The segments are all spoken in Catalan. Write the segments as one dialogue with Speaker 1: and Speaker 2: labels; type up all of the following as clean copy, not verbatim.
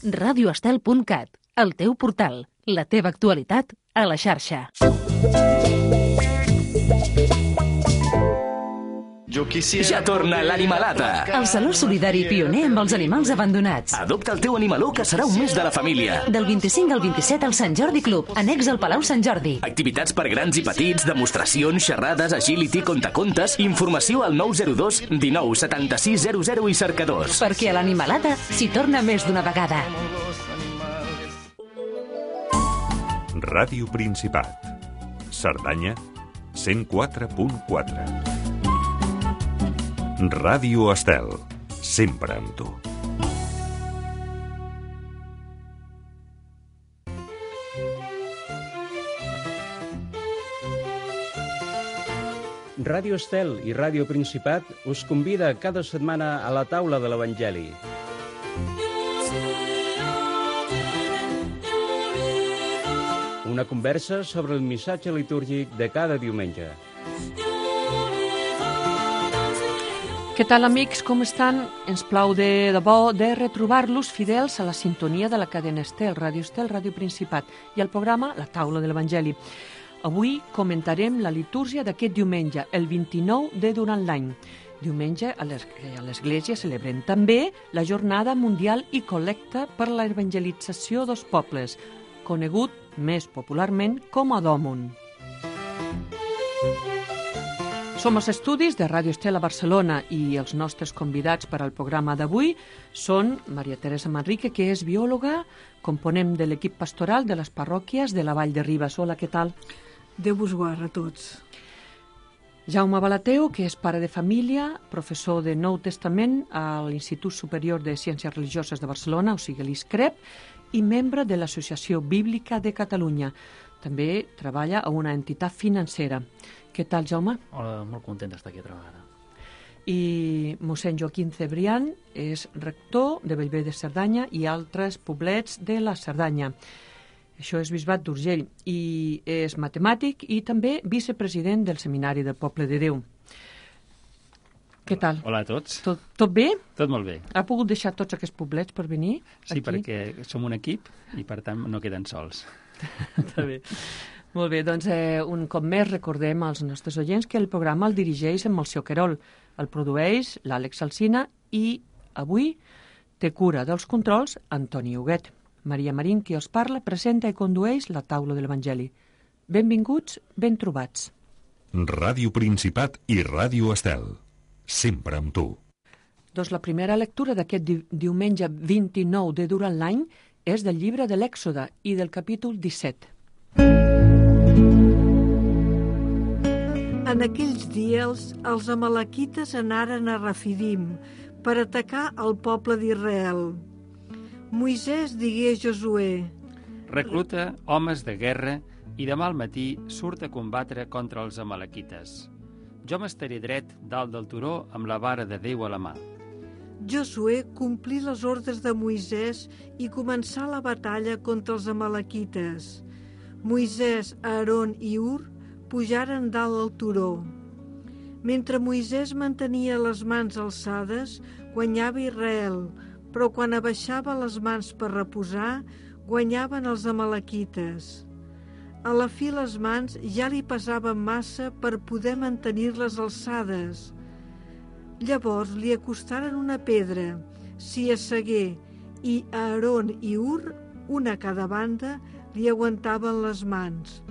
Speaker 1: radioestel.cat, el teu portal, la teva actualitat a la xarxa.
Speaker 2: Ja torna l'Animalada.
Speaker 1: El Saló Solidari pioner amb els animals abandonats.
Speaker 2: Adopta el teu animaló, que serà un mes de la família.
Speaker 1: Del 25 al 27 al Sant Jordi Club, annex al Palau Sant Jordi.
Speaker 2: Activitats per grans i petits, demostracions, xerrades, agility, contacontes, informació al 902 19 76 00 i cercadors.
Speaker 1: Perquè a l'Animalada s'hi torna més d'una vegada.
Speaker 3: Ràdio Principat. Cerdanya, 104.4. Ràdio Estel, sempre amb tu.
Speaker 4: Ràdio Estel i Ràdio Principat us convida cada setmana a la taula de l'Evangeli. Una conversa sobre el missatge litúrgic de cada diumenge.
Speaker 5: Què tal, amics? Com estan? Ens plau de debò de retrobar-los fidels a la sintonia de la cadena Estel, Ràdio Principat, i el programa La Taula de l'Evangeli. Avui comentarem la litúrgia d'aquest diumenge, el 29 de durant l'any. Diumenge a l'Església celebrem també la Jornada Mundial i Col·lecta per la Evangelització dels Pobles, conegut més popularment com a Dòmun. Som als estudis de Ràdio Estel a Barcelona i els nostres convidats per al programa d'avui són Maria Teresa Manrique, que és biòloga, component de l'equip pastoral de les parròquies de la Vall de Ribes. Hola, què tal?
Speaker 6: Déu vos guard a tots.
Speaker 5: Jaume Balateu, que és pare de família, professor de Nou Testament a l'Institut Superior de Ciències Religioses de Barcelona, o sigui l'ISCREP, i membre de l'Associació Bíblica de Catalunya. També treballa a una entitat financera. Què tal, Jaume?
Speaker 7: Hola, molt content d'estar aquí altra vegada.
Speaker 5: I mossèn Joaquim Cebrián és rector de Bellver de Cerdanya i altres poblets de la Cerdanya. Això és Bisbat d'Urgell. I és matemàtic i també vicepresident del Seminari del Poble de Déu. Què tal?
Speaker 7: Hola a tots.
Speaker 5: Tot bé?
Speaker 7: Tot molt bé.
Speaker 5: Ha pogut deixar tots aquests poblets per venir
Speaker 7: Sí,
Speaker 5: aquí?
Speaker 7: perquè som un equip i, per tant, no queden sols.
Speaker 5: Està bé. Molt bé, doncs un cop més recordem als nostres oients que el programa el dirigeix en Melcior Querol, el produeix l'Àlex Alsina i avui té cura dels controls Antoni Huguet. Maria Marín, qui els parla, presenta i condueix la taula de l'Evangeli. Benvinguts, ben trobats.
Speaker 3: Ràdio Principat i Ràdio Estel, sempre amb tu.
Speaker 5: Doncs la primera lectura d'aquest diumenge 29 de durant l'any és del llibre de l'Èxode i del capítol 17.
Speaker 6: En aquells dies, els amalequites anaren a Refidim per atacar el poble d'Israel. Moisès digué a Josué:
Speaker 7: Recluta homes de guerra i demà al matí surt a combatre contra els amalequites. Jo m'estaré dret dalt del turó amb la vara de Déu a la mà.
Speaker 6: Josué complí les ordres de Moisès i començà la batalla contra els amalequites. Moisès, Aaron i Ur pujaren dalt del turó. Mentre Moisès mantenia les mans alçades, guanyava Israel, però quan abaixava les mans per reposar, guanyaven els amalequites. A la fi les mans ja li pesaven massa per poder mantenir-les alçades. Llavors li acostaren una pedra, s'hi assegué, i Aaron i Ur, una a cada banda, li aguantaven les mans.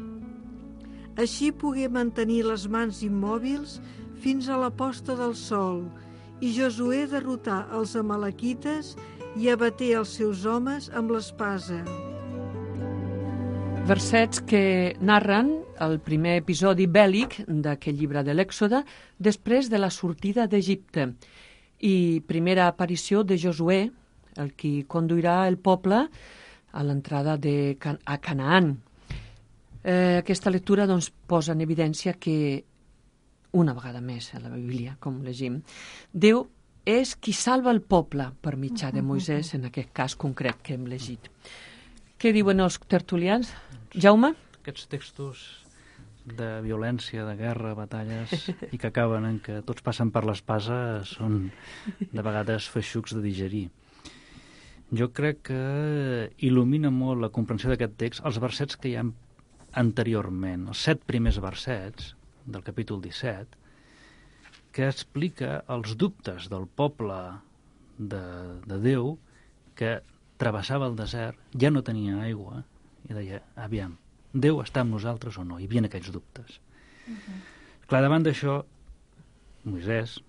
Speaker 6: Així pogué mantenir les mans immòbils fins a la posta del sol, i Josué derrotà els amalequites i abaté els seus homes amb l'espasa.
Speaker 5: Versets que narren el primer episodi bèl·lic d'aquest llibre de l'Èxode després de la sortida d'Egipte i primera aparició de Josué, el qui conduirà el poble a l'entrada a Canaan. Aquesta lectura doncs, posa en evidència que, una vegada més a la Bíblia, com llegim, Déu és qui salva el poble per mitjà de Moisès, en aquest cas concret que hem llegit. Què diuen els tertulians? Jaume?
Speaker 8: Aquests textos de violència, de guerra, batalles, i que acaben en que tots passen per l'espasa, són de vegades feixucs de digerir. Jo crec que il·lumina molt la comprensió d'aquest text els versets que hi ha anteriorment, els 7 primers versets del capítol 17, que explica els dubtes del poble de Déu que travessava el desert, ja no tenia aigua, i deia, aviam, Déu està amb nosaltres o no? Hi havia aquells dubtes. Clar, davant d'això, Moisès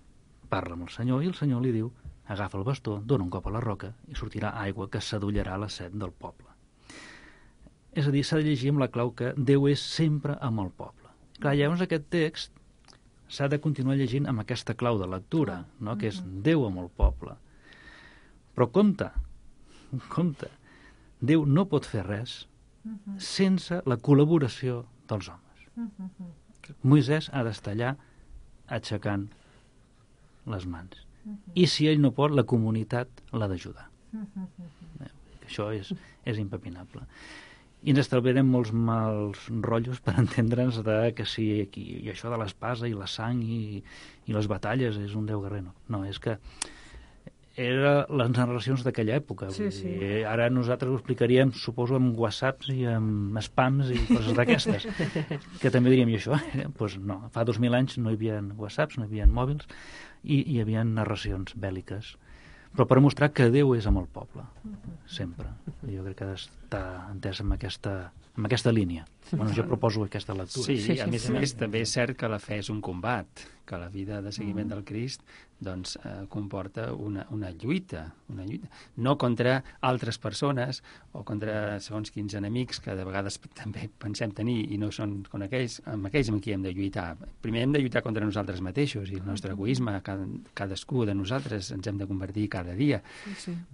Speaker 8: parla amb el Senyor i el Senyor li diu, agafa el bastó, dona un cop a la roca i sortirà aigua que s'adollarà la set del poble. És a dir, s'ha de llegir amb la clau que Déu és sempre amb el poble. Clar, llavors aquest text s'ha de continuar llegint amb aquesta clau de lectura, no? Que és Déu amb el poble. Però compte, Déu no pot fer res sense la col·laboració dels homes. Moisès ha d'estar allà aixecant les mans. I si ell no pot, la comunitat l'ha d'ajudar. Això és impepinable. I ens estalviarem molts mals rotllos per entendre'ns que si aquí, i això de l'espasa i la sang i les batalles és un déu guerrer. No, és que eren les narracions d'aquella època.
Speaker 6: Sí.
Speaker 8: Ara nosaltres ho explicaríem, suposo, amb whatsapps i amb spams i coses d'aquestes. Que també diríem, i això? Doncs no, fa 2000 anys no hi havia whatsapps, no hi havia mòbils, i hi havia narracions bèl·liques. Però per mostrar que Déu és amb el poble, sempre. Jo crec que ha d'estar entès amb aquesta línia. Bueno, jo proposo aquesta lectura.
Speaker 7: Sí, a més, també és cert que la fe és un combat, que la vida de seguiment del Crist doncs, comporta una lluita, no contra altres persones o contra segons quins enemics que de vegades també pensem tenir i no són amb aquells amb qui hem de lluitar. Primer hem de lluitar contra nosaltres mateixos i el nostre egoisme, cadascú de nosaltres ens hem de convertir cada dia.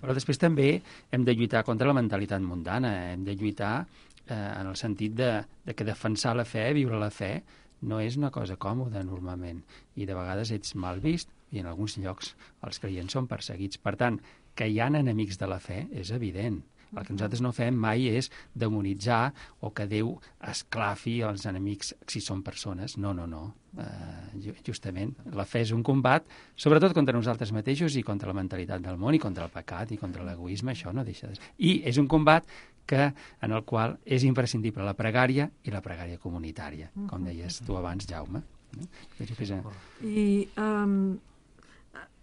Speaker 7: Però després també hem de lluitar contra la mentalitat mundana, hem de lluitar en el sentit de que defensar la fe, viure la fe, no és una cosa còmoda normalment i de vegades ets mal vist i en alguns llocs els creients són perseguits. Per tant, que hi ha enemics de la fe és evident. El que nosaltres no fem mai és demonitzar o que Déu esclafi els enemics si són persones. No. Justament, la fe és un combat, sobretot contra nosaltres mateixos i contra la mentalitat del món i contra el pecat i contra l'egoisme, això no deixa de ser. I és un combat en el qual és imprescindible la pregària i la pregària comunitària, com deies tu abans, Jaume.
Speaker 6: I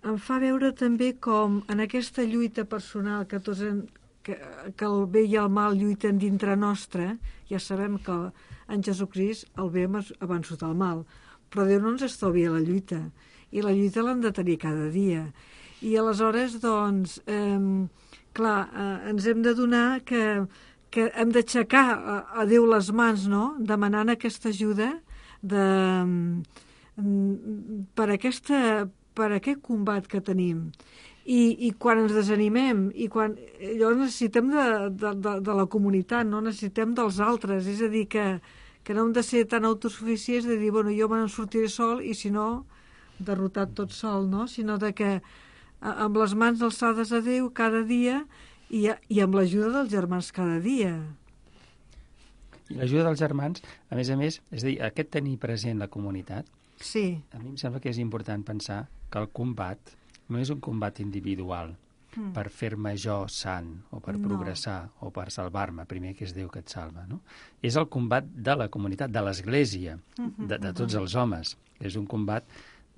Speaker 6: em fa veure també com en aquesta lluita personal que tots que el bé i el mal lluiten dintre nostre, ja sabem que en Jesucrist el bé ha vençut el mal, però Déu no ens estalvia la lluita, i la lluita l'hem de tenir cada dia. I aleshores, doncs, ens hem de donar que hem d'aixecar a Déu les mans, no?, demanant aquesta ajuda per aquest combat que tenim. I quan ens desanimem i quan llavors necessitem de la comunitat, no necessitem dels altres, és a dir, que no hem de ser tan autosuficients de dir, bueno, jo me'n sortiré sol i si no, derrotat tot sol, no? Sinó de que amb les mans alçades a Déu cada dia i amb l'ajuda dels germans cada dia.
Speaker 7: I l'ajuda dels germans, a més, és a dir, aquest tenir present la comunitat,
Speaker 6: sí.
Speaker 7: A mi em sembla que és important pensar que el combat no és un combat individual per fer-me jo sant o per progressar o per salvar-me, primer que és Déu que et salva, no? És el combat de la comunitat, de l'Església, de tots els homes. És un combat,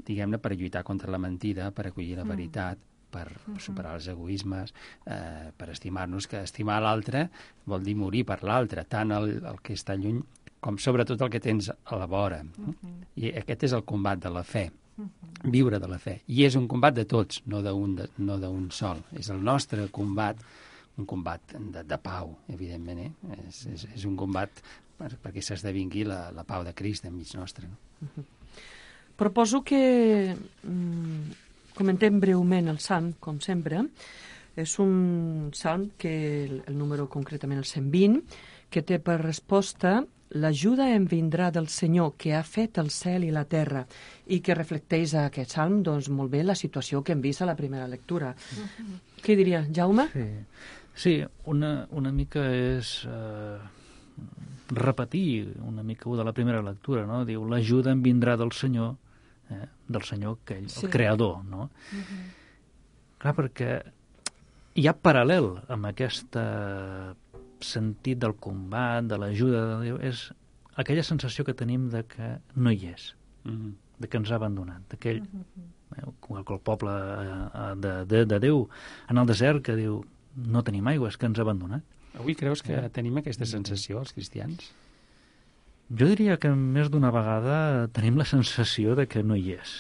Speaker 7: diguem-ne, per lluitar contra la mentida, per acollir la veritat, per superar els egoismes, per estimar-nos, que estimar l'altre vol dir morir per l'altre, tant el que està lluny com sobretot el que tens a la vora. I aquest és el combat de la fe, viure de la fe. I és un combat de tots, no d'un sol. És el nostre combat, un combat de pau, evidentment. És un combat perquè s'esdevingui la pau de Crist enmig nostre.
Speaker 5: Proposo que comentem breument el Salm, com sempre. És un Salm que el número concretament el 120, que té per resposta l'ajuda em vindrà del Senyor que ha fet el cel i la terra, i que reflecteix a aquest Salm doncs, molt bé la situació que hem vist a la primera lectura. Què diria, Jaume?
Speaker 8: Sí, una mica és repetir una mica de la primera lectura, no? Diu, l'ajuda em vindrà del Senyor aquell, el creador, no? Clar, perquè hi ha paral·lel amb aquest sentit del combat, de l'ajuda de Déu, és aquella sensació que tenim de que no hi és, de que ens ha abandonat, d'aquell el poble de Déu en el desert que diu no tenim aigua, és que ens ha abandonat.
Speaker 7: Avui creus que tenim aquesta sensació, els cristians?
Speaker 8: Jo diria que més d'una vegada tenim la sensació de que no hi és.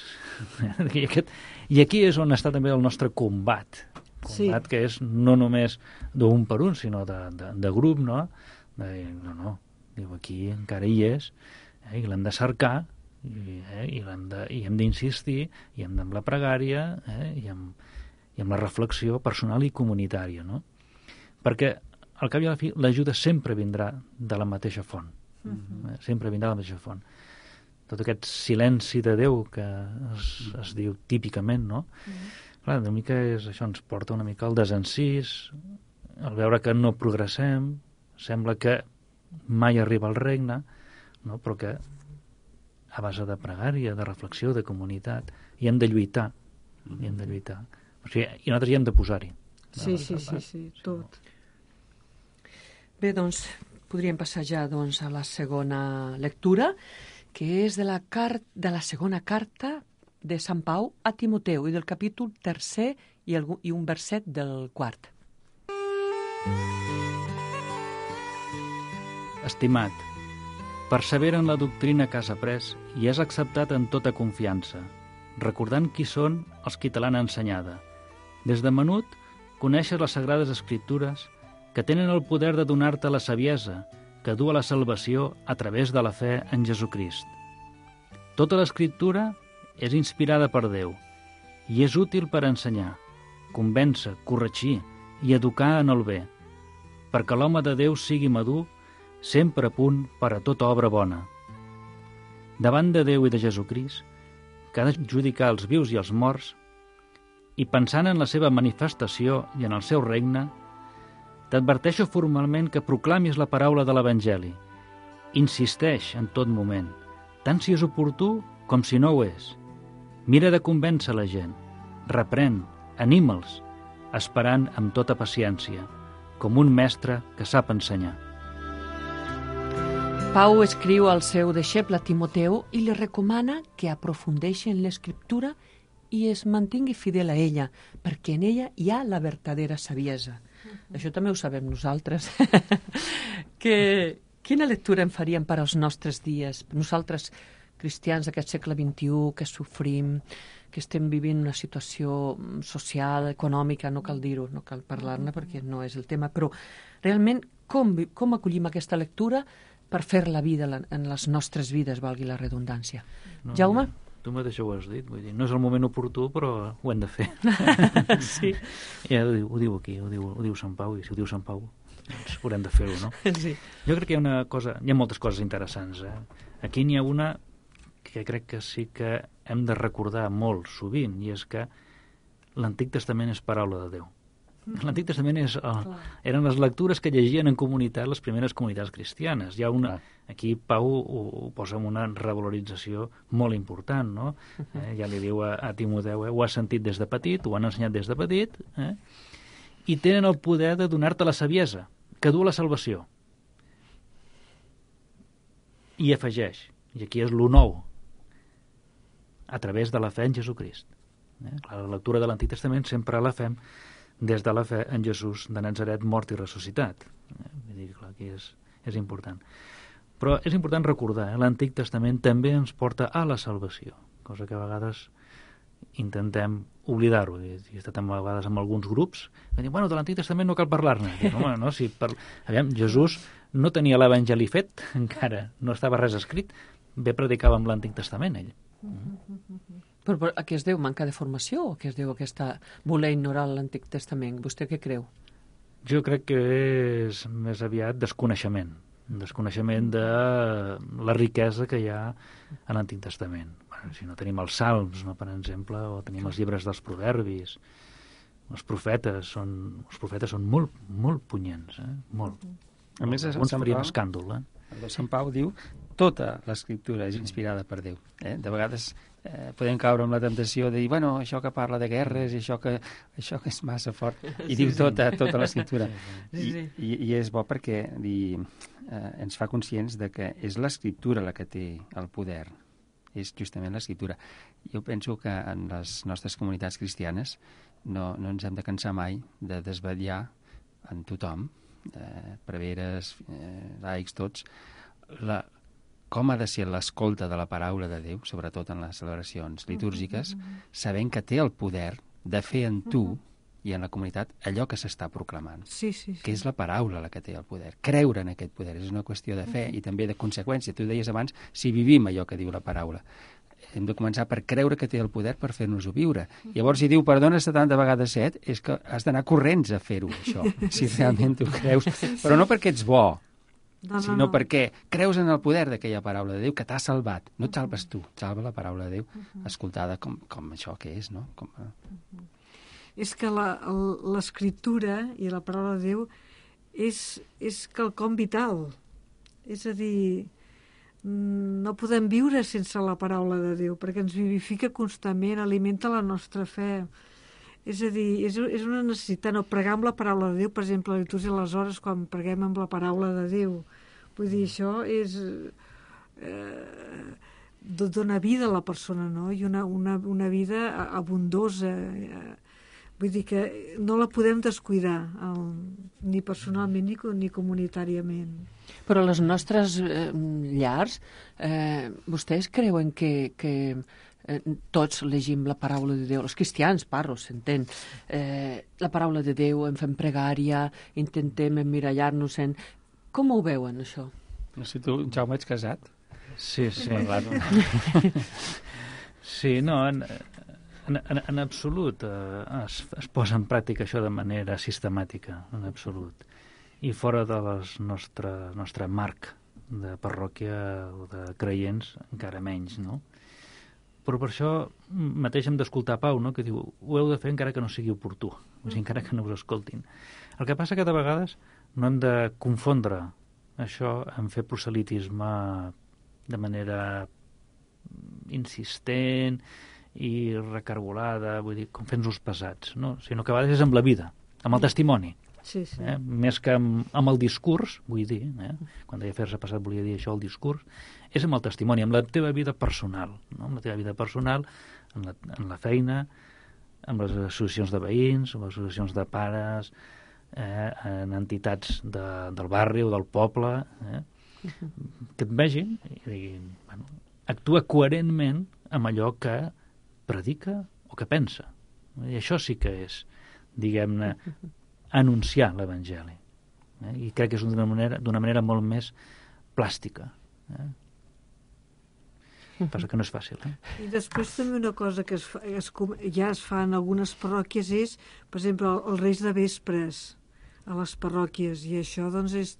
Speaker 8: I aquí és on està també el nostre combat. Combat que és no només d'un per un, sinó de grup, no? No, diu, aquí encara hi és, i l'hem de cercar, i hem d'insistir, i hem amb la pregària, i amb la reflexió personal i comunitària, no? Perquè, al cap i a la fi, l'ajuda sempre vindrà de la mateixa font. Sempre vindrà de la mateixa font. Tot aquest silenci de Déu que es diu típicament, no? Clar, una mica això ens porta una mica al desencís, al veure que no progressem, sembla que mai arriba al regne, no? Però que a base de pregària, de reflexió, de comunitat, i hem de lluitar. I hem de lluitar. O sigui, i nosaltres hi hem de posar-hi.
Speaker 6: Sí, tot.
Speaker 5: Bé, doncs, podríem passar ja a la segona lectura, que és de la segona carta de Sant Pau a Timoteu, i del capítol 3 i un verset del 4.
Speaker 8: Estimat, persevera en la doctrina que has après i has acceptat en tota confiança, recordant qui són els qui te l'han ensenyada. Des de menut, coneixes les Sagrades Escriptures que tenen el poder de donar-te la saviesa que du a la salvació a través de la fe en Jesucrist. Tota l'Escriptura és inspirada per Déu i és útil per ensenyar, convèncer, corregir i educar en el bé, perquè l'home de Déu sigui madur, sempre a punt per a tota obra bona. Davant de Déu i de Jesucrist, que ha de judicar els vius i els morts, i pensant en la seva manifestació i en el seu regne, t'adverteixo formalment que proclamis la paraula de l'Evangeli. Insisteix en tot moment, tant si és oportú com si no ho és. Mira de convèncer la gent, reprèn, anima'ls, esperant amb tota paciència, com un mestre que sap ensenyar.
Speaker 5: Pau escriu al seu deixeble Timoteu i li recomana que aprofundeixi en l'Escriptura i es mantingui fidel a ella, perquè en ella hi ha la verdadera saviesa. Això també ho sabem nosaltres. Quina lectura en faríem per als nostres dies? Nosaltres, cristians d'aquest segle XXI, que sofrim, que estem vivint una situació social, econòmica, no cal dir-ho, no cal parlar-ne perquè no és el tema, però realment com acollim aquesta lectura per fer la vida en les nostres vides, valgui la redundància. Jaume?
Speaker 8: Tu mateix ho has dit, vull dir, no és el moment oportú, però ho hem de fer.
Speaker 5: Sí.
Speaker 8: Ja ho diu aquí, ho diu Sant Pau, i si ho diu Sant Pau, doncs haurem de fer-ho, no?
Speaker 5: Sí.
Speaker 8: Jo crec que hi ha moltes coses interessants. Aquí n'hi ha una que crec que sí que hem de recordar molt sovint, i és que l'Antic Testament és paraula de Déu. L'Antic Testament eren les lectures que llegien en comunitat les primeres comunitats cristianes. Hi ha aquí Pau ho posa en una revalorització molt important, no? Ja li diu a Timoteu, ho has sentit des de petit, ho han ensenyat des de petit, i tenen el poder de donar-te la saviesa, que du a la salvació. I afegeix, i aquí és lo nou, a través de la fe en Jesucrist. La lectura de l'Antic Testament sempre la fem des de la fe en Jesús de Natzaret, mort i ressuscitat. Vull dir, clar, aquí és important. Però és important recordar, l'Antic Testament també ens porta a la salvació, cosa que a vegades intentem oblidar-ho. He estat a vegades amb alguns grups que diuen, de l'Antic Testament no cal parlar-ne. No, si aviam, Jesús no tenia l'Evangeli fet, encara no estava res escrit, bé predicava amb l'Antic Testament, ell.
Speaker 5: Però a què es deu? Manca de formació o a què es deu aquesta voler ignorar l'Antic Testament? Vostè què creu?
Speaker 8: Jo crec que és més aviat desconeixement de la riquesa que hi ha a l'Antic Testament. Si no tenim els Salms, no, per exemple, o tenim els llibres dels Proverbis, els profetes són molt, molt punyents, molt.
Speaker 7: A més,
Speaker 8: alguns farien escàndol,
Speaker 7: Sant Pau diu tota l'Escriptura és inspirada per Déu. De vegades podem caure amb la temptació de dir, bueno, això que parla de guerres, i això que és massa fort, i diu tota l'escriptura. I és bo perquè ens fa conscients de que és l'escriptura la que té el poder, és justament l'escriptura. Jo penso que en les nostres comunitats cristianes no ens hem de cansar mai de desvetllar en tothom, preveres, laics, tots, com ha de ser l'escolta de la paraula de Déu, sobretot en les celebracions litúrgiques, sabent que té el poder de fer en tu i en la comunitat allò que s'està proclamant, que és la paraula la que té el poder. Creure en aquest poder és una qüestió de fe i també de conseqüència. Tu deies abans, si vivim allò que diu la paraula. Hem de començar per creure que té el poder per fer-nos-ho viure. Llavors, si diu, perdona 70 vegades 7, és que has d'anar corrents a fer-ho, això, si realment tu creus. Però no perquè ets bo, sinó perquè creus en el poder d'aquella paraula de Déu que t'ha salvat. No et salves tu, et salva la paraula de Déu, escoltada com això que és, no?
Speaker 6: És que l'escriptura i la paraula de Déu és quelcom vital. És a dir, no podem viure sense la paraula de Déu, perquè ens vivifica constantment, alimenta la nostra fe. És a dir, és una necessitat, no pregar amb la paraula de Déu, per exemple, a la litúrgia de les hores, quan preguem amb la paraula de Déu. Vull dir, això és... dona vida a la persona, no? I una vida abundosa. Vull dir que no la podem descuidar, ni personalment ni comunitàriament.
Speaker 5: Però les nostres llars, vostès creuen que tots llegim la paraula de Déu, els cristians, parlo, s'entén, la paraula de Déu, en fem pregària, intentem emmirallar-nos en... Com ho veuen, això?
Speaker 7: No sé, tu, Jaume, ets casat?
Speaker 8: Sí. Sí, no, en absolut es posa en pràctica això de manera sistemàtica, en absolut. I fora de nostre marc de parròquia o de creients, encara menys, no? Però per això mateix hem d'escoltar Pau, no? Que diu, ho heu de fer encara que no sigui oportú, o sigui, encara que no us escoltin. El que passa que de vegades no hem de confondre això en fer proselitisme de manera insistent i recargolada, vull dir, com fent-nos pesats, no? Sinó que a vegades és amb la vida, amb el testimoni.
Speaker 6: Sí.
Speaker 8: Més que amb el discurs, vull dir, quan deia fer-se passat volia dir això, el discurs, és amb el testimoni, amb la teva vida personal, no? Amb la teva vida personal, en la feina, amb les associacions de veïns, amb les associacions de pares, en entitats del barri o del poble, que et vegin i diguin, bueno, actua coherentment amb allò que predica o que pensa. I això sí que és, diguem-ne, anunciar l'Evangeli. I crec que és d'una manera molt més plàstica. Passa que no és fàcil.
Speaker 6: I després també una cosa que ja es fa en algunes parròquies és, per exemple, els reis de vespres a les parròquies, i això doncs és...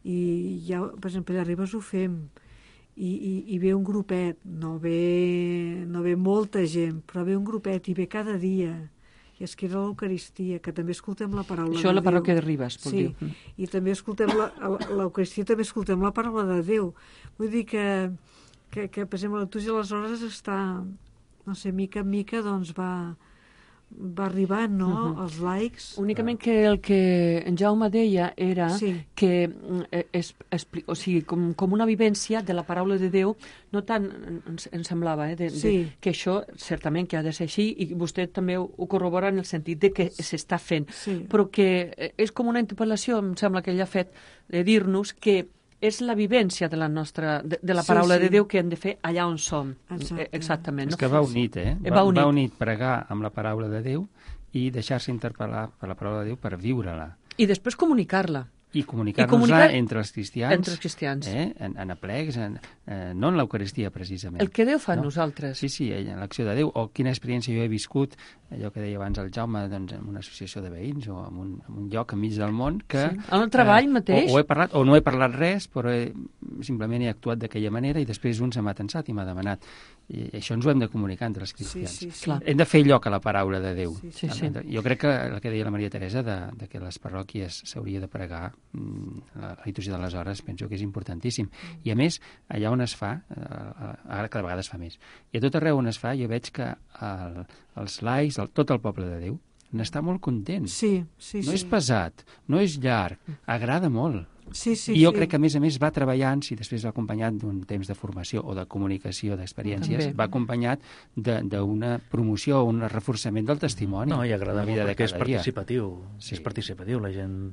Speaker 6: I ja, per exemple, allà a Ribes ho fem, i ve un grupet, no ve molta gent, però ve un grupet i ve cada dia, i es queda l'Eucaristia, que també escoltem la paraula de Déu.
Speaker 5: Això a la parròquia de Ribes, vol dir.
Speaker 6: Sí, i també escoltem l'Eucaristia, també escoltem la paraula de Déu. Vull dir que per exemple, la litúrgia de les hores està, no sé, mica en mica, doncs va arribant, no?, als laics.
Speaker 5: Únicament que el que en Jaume deia era que, o sigui, com una vivència de la paraula de Déu, no tant, em semblava, que això certament que ha de ser així, i vostè també ho corrobora en el sentit de que s'està fent, però que és com una interpel·lació, em sembla que ell ha fet, de dir-nos que és la vivència de la nostra, de la paraula de Déu que hem de fer allà on som. Exactament.
Speaker 7: És que va unit, va unit pregar amb la paraula de Déu i deixar-se interpel·lar per la paraula de Déu per viure-la.
Speaker 5: I després comunicar-la.
Speaker 7: I comunicar-nos-la entre els cristians.
Speaker 5: Entre els cristians.
Speaker 7: En aplecs, no en l'Eucaristia, precisament.
Speaker 5: El que Déu fa a nosaltres.
Speaker 7: Sí, en l'acció de Déu. O quina experiència jo he viscut, allò que deia abans el Jaume, doncs, en una associació de veïns o en un lloc enmig del món que...
Speaker 5: En el treball mateix.
Speaker 7: O he parlat, o no he parlat res, però simplement he actuat d'aquella manera i després un se m'ha tensat i m'ha demanat. I això ens ho hem de comunicar entre els cristians.
Speaker 6: Sí.
Speaker 7: Hem de fer lloc a la paraula de Déu.
Speaker 5: Sí.
Speaker 7: Jo crec que el que deia la Maria Teresa de que les parròquies s'hauria de pregar, la litúrgia de les hores, penso que és importantíssim. I a més, allà on es fa, ara cada vegada es fa més, i a tot arreu on es fa jo veig que els laics, tot el poble de Déu, n'està molt content.
Speaker 6: Sí.
Speaker 7: No és pesat, no és llarg, agrada molt.
Speaker 6: Sí.
Speaker 7: I jo crec que, a més, va treballant, si després va acompanyat d'un temps de formació o de comunicació d'experiències,
Speaker 5: També.
Speaker 7: va acompanyat d'una promoció o un reforçament del testimoni.
Speaker 8: No, i agrada molt perquè és participatiu.
Speaker 7: Sí.
Speaker 8: És participatiu, la gent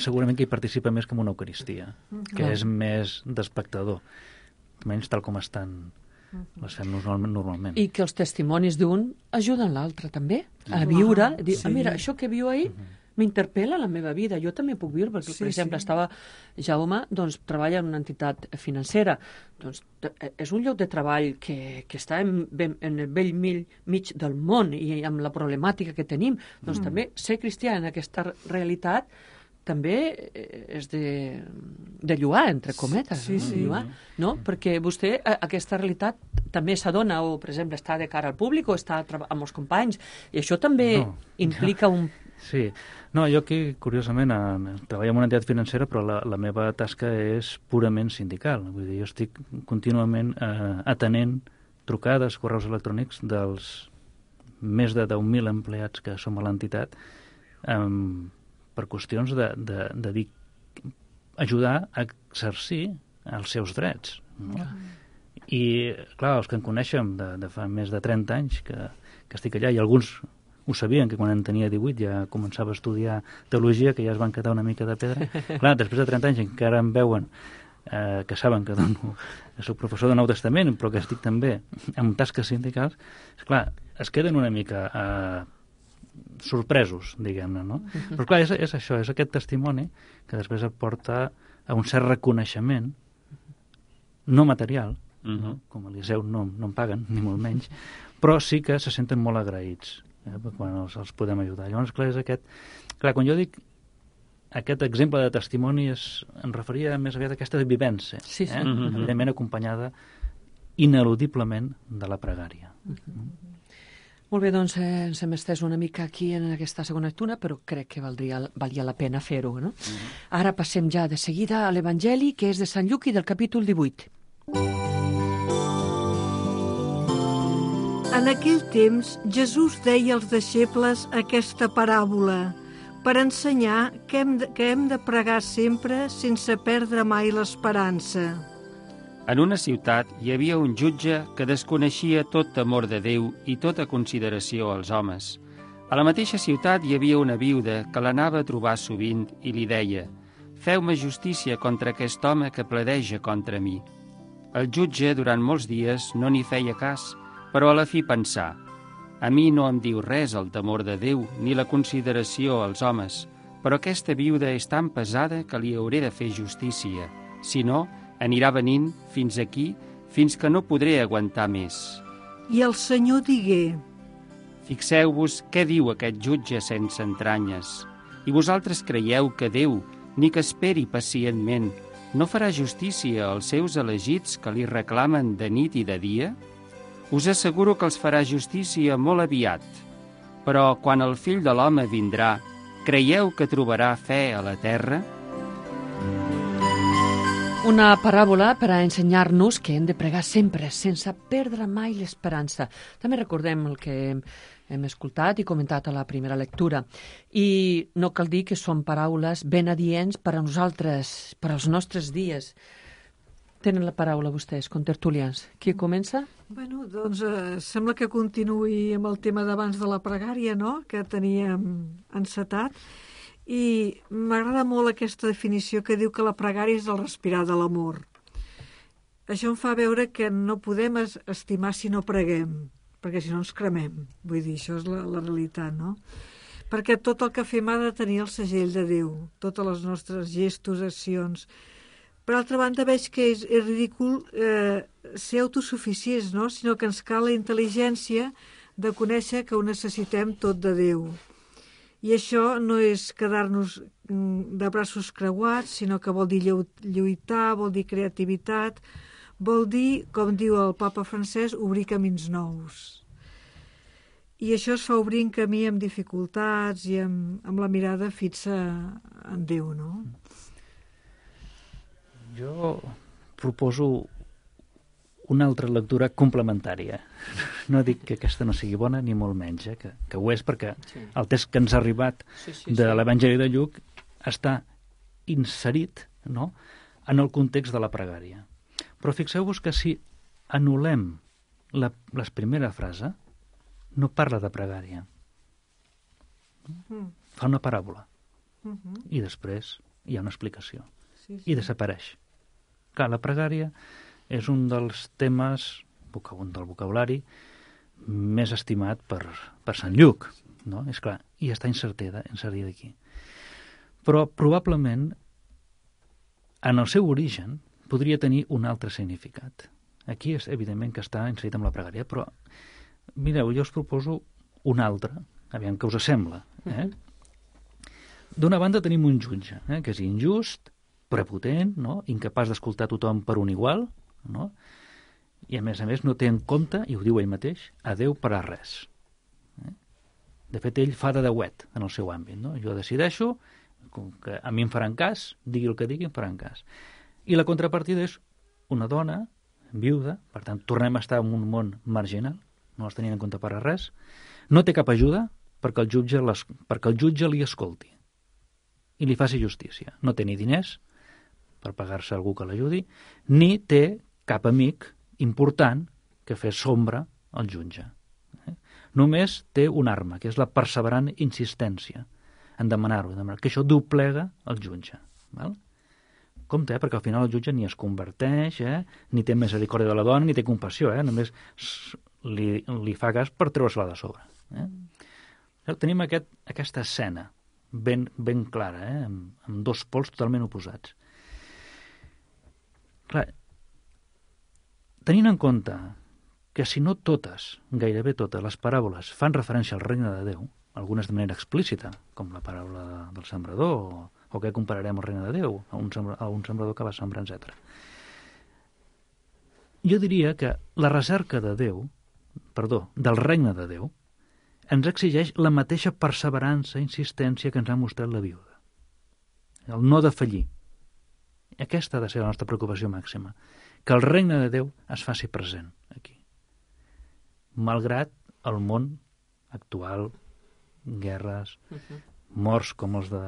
Speaker 8: segurament que hi participa més que en una Eucaristia, que és més d'espectador, menys tal com estan les fem normalment.
Speaker 5: I que els testimonis d'un ajuden l'altre també a viure, a dir, mira, això que viu ahir m'interpel·la la meva vida, jo també puc viure, perquè, per exemple, Jaume treballa en una entitat financera, doncs és un lloc de treball que està en el vell mig del món i amb la problemàtica que tenim, doncs també ser cristià en aquesta realitat també és de lluar, entre cometes. Lluar, no? Perquè vostè aquesta realitat també s'adona, o, per exemple, està de cara al públic o està amb els companys, i això també implica un...
Speaker 8: Sí. No, jo aquí, curiosament, treballo en una entitat financera, però la meva tasca és purament sindical. Vull dir, jo estic contínuament atenent trucades, correus electrònics dels més de 10.000 empleats que som a l'entitat, per qüestions de dir, ajudar a exercir els seus drets. No? I, clar, els que en coneixem de fa més de 30 anys que estic allà, i alguns ho sabien, que quan en tenia 18 ja començava a estudiar teologia, que ja es van quedar una mica de pedra. Clar, després de 30 anys encara em veuen, que saben que soc professor de Nou Testament, però que estic també amb tasques sindicals, esclar, es queden una mica sorpresos, diguem-ne, no? Però clar, és això, és aquest testimoni que després et porta a un cert reconeixement no material, no? Com a Eliseu no em paguen, ni molt menys, però sí que se senten molt agraïts quan els podem ajudar. Llavors, clar, és aquest... Clar, quan jo dic aquest exemple de testimoni em referia més aviat a aquesta vivència, evidentment acompanyada ineludiblement de la pregària.
Speaker 5: Molt bé, doncs ens hem estès una mica aquí en aquesta segona lectura, però crec que valia la pena fer-ho, no? Ara passem ja de seguida a l'Evangeli, que és de Sant Lluc i del capítol 18.
Speaker 6: En aquell temps, Jesús deia als deixebles aquesta paràbola per ensenyar que hem de pregar sempre sense perdre mai l'esperança.
Speaker 7: En una ciutat hi havia un jutge que desconeixia tot temor de Déu i tota consideració als homes. A la mateixa ciutat hi havia una viuda que l'anava a trobar sovint i li deia: «Feu-me justícia contra aquest home que pledeja contra mi». El jutge, durant molts dies, no n'hi feia cas, però a la fi pensà: «A mi no em diu res el temor de Déu ni la consideració als homes, però aquesta viuda és tan pesada que li hauré de fer justícia. Si no, anirà venint fins aquí, fins que no podré aguantar més».
Speaker 6: I el Senyor digué:
Speaker 7: «Fixeu-vos què diu aquest jutge sense entranyes. I vosaltres creieu que Déu, ni que esperi pacientment, no farà justícia als seus elegits que li reclamen de nit i de dia? Us asseguro que els farà justícia molt aviat. Però quan el Fill de l'Home vindrà, creieu que trobarà fe a la terra?»
Speaker 5: Una paràbola per a ensenyar-nos que hem de pregar sempre, sense perdre mai l'esperança. També recordem el que hem escoltat i comentat a la primera lectura. I no cal dir que són paraules ben adients per a nosaltres, per als nostres dies. Tenen la paraula vostès, contertulians. Qui comença?
Speaker 6: Bueno, doncs sembla que continuï amb el tema d'abans de la pregària, no?, que teníem encetat. I m'agrada molt aquesta definició que diu que la pregària és el respirar de l'amor. Això em fa veure que no podem estimar si no preguem, perquè si no ens cremem. Vull dir, això és la realitat, no? Perquè tot el que fem ha de tenir el segell de Déu, totes les nostres gestos, accions. Per altra banda, veig que és ridícul ser autosuficients, no? Sinó que ens cal la intel·ligència de conèixer que ho necessitem tot de Déu. I això no és quedar-nos de braços creuats, sinó que vol dir lluitar, vol dir creativitat, vol dir, com diu el papa francès, obrir camins nous. I això es fa obrint camí amb dificultats i amb la mirada fixa en Déu, no?
Speaker 8: Jo proposo una altra lectura complementària. No dic que aquesta no sigui bona, ni molt menys, que ho és, perquè el text que ens ha arribat de l'Evangeli de Lluc està inserit, no?, en el context de la pregària. Però fixeu-vos que si anul·lem la primera frase, no parla de pregària. Fa una paràbola. I després hi ha una explicació. I desapareix. Clar, la pregària és un dels temes del vocabulari més estimat per Sant Lluc, no? És clar, i està inserida aquí. Però probablement en el seu origen podria tenir un altre significat. Aquí és evidentment que està inserit amb la pregària, però mireu, jo us proposo un altre, aviam què us sembla. D'una banda tenim un jutge, que és injust, prepotent, no?, incapaç d'escoltar tothom per un igual, no?, i a més no té en compte, i ho diu ell mateix, a Déu per a res. De fet, ell fa de deuet en el seu àmbit, no? Jo decideixo que a mi em faran cas, digui el que digui, em faran cas. I la contrapartida és una dona viuda, per tant, tornem a estar en un món marginal, no els tenien en compte per a res, no té cap ajuda perquè el jutge li escolti i li faci justícia. No té ni diners per pagar-se algú que l'ajudi, ni té cap amic important que fes sombra al jutge. Només té una arma, que és la perseverant insistència en demanar-ho, que això doblega el jutge. Val? Compte, perquè al final el jutge ni es converteix, ni té misericòrdia de la dona, ni té compassió, només li fa cas per treure-se-la de sobre. Tenim aquesta escena ben clara, amb dos pols totalment oposats. Clar, tenint en compte que si no totes, gairebé totes, les paràboles fan referència al regne de Déu, algunes de manera explícita, com la paràbola del sembrador, o què compararem al regne de Déu, a un sembrador que va sembrar, etc. Jo diria que la recerca del regne de Déu, ens exigeix la mateixa perseverança i insistència que ens ha mostrat la viuda. El no defallir. Aquesta ha de ser la nostra preocupació màxima. Que el regne de Déu es faci present aquí. Malgrat el món actual, guerres, morts com els de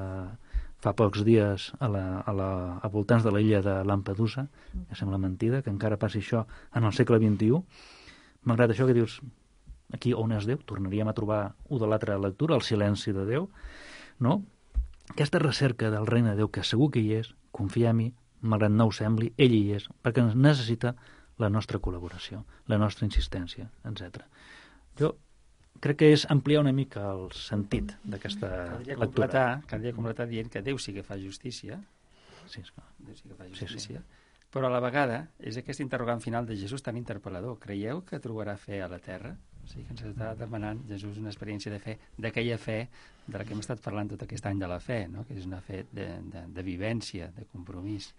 Speaker 8: fa pocs dies a voltants de l'illa de Lampedusa, que sembla mentida, que encara passi això en el segle XXI. Malgrat això que dius, aquí on és Déu? Tornaríem a trobar de l'altra lectura, el silenci de Déu, no? Aquesta recerca del regne de Déu, que segur que hi és, confia-m'hi, malgrat no ho sembli, ell hi és, perquè ens necessita la nostra col·laboració, la nostra insistència, etc. Jo crec que és ampliar una mica el sentit d'aquesta lectura.
Speaker 7: Caldria completar dient que Déu sí que fa justícia,
Speaker 8: sí, esclar.
Speaker 7: Déu sí que fa justícia, però a la vegada és aquest interrogant final de Jesús tan interpel·lador. Creieu que trobarà fe a la terra? O sigui que ens està demanant Jesús una experiència de fe, d'aquella fe de la que hem estat parlant tot aquest any de la fe, no? Que és una fe de vivència, de compromís,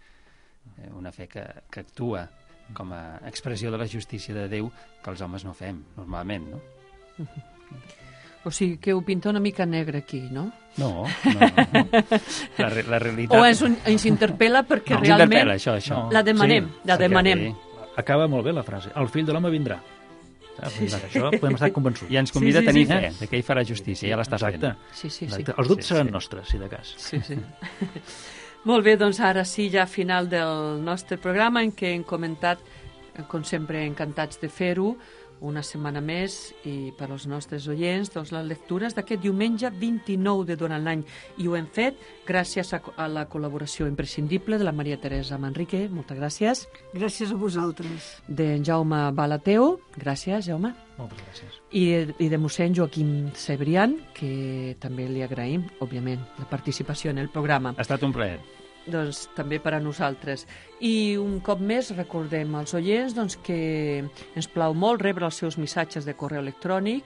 Speaker 7: una fe que actua com a expressió de la justícia de Déu que els homes no fem, normalment, no?
Speaker 5: O sigui, que ho pinta una mica negre aquí, no?
Speaker 7: No. La realitat...
Speaker 5: O ens interpel·la perquè realment
Speaker 7: això.
Speaker 5: La demanem.
Speaker 8: Acaba molt bé la frase. El fill de l'home vindrà. Això podem estar convençuts.
Speaker 7: I ens convida a tenir fe, que ell farà justícia, ja l'estàs fent.
Speaker 5: Sí.
Speaker 8: Els dubtes seran nostres, si de cas.
Speaker 5: Sí. Molt bé, doncs ara sí, ja final del nostre programa, en què hem comentat, com sempre, encantats de fer-ho, una setmana més, i per als nostres oients, doncs, les lectures d'aquest diumenge 29 de durant l'any. I ho hem fet gràcies a la col·laboració imprescindible de la Maria Teresa Manrique. Moltes gràcies.
Speaker 6: Gràcies a vosaltres.
Speaker 5: D'en Jaume Balateu. Gràcies, Jaume.
Speaker 8: Moltes gràcies.
Speaker 5: I de mossèn Joaquim Cebrián, que també li agraïm, òbviament, la participació en el programa.
Speaker 7: Ha estat un plaer.
Speaker 5: doncs, també per a nosaltres. I un cop més recordem als oients que ens plau molt rebre els seus missatges de correu electrònic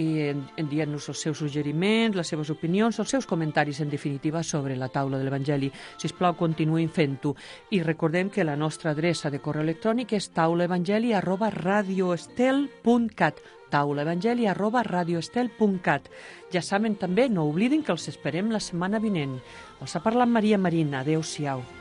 Speaker 5: i dient-nos els seus suggeriments, les seves opinions, els seus comentaris, en definitiva, sobre la taula de l'Evangeli. Sisplau, continuïn fent-ho. I recordem que la nostra adreça de correu electrònic és taulaevangeli@radioestel.cat taulaevangeli@radioestel.cat. Ja saben també, no oblidin que els esperem la setmana vinent. Els ha parlat Maria Marín. Adéu-siau.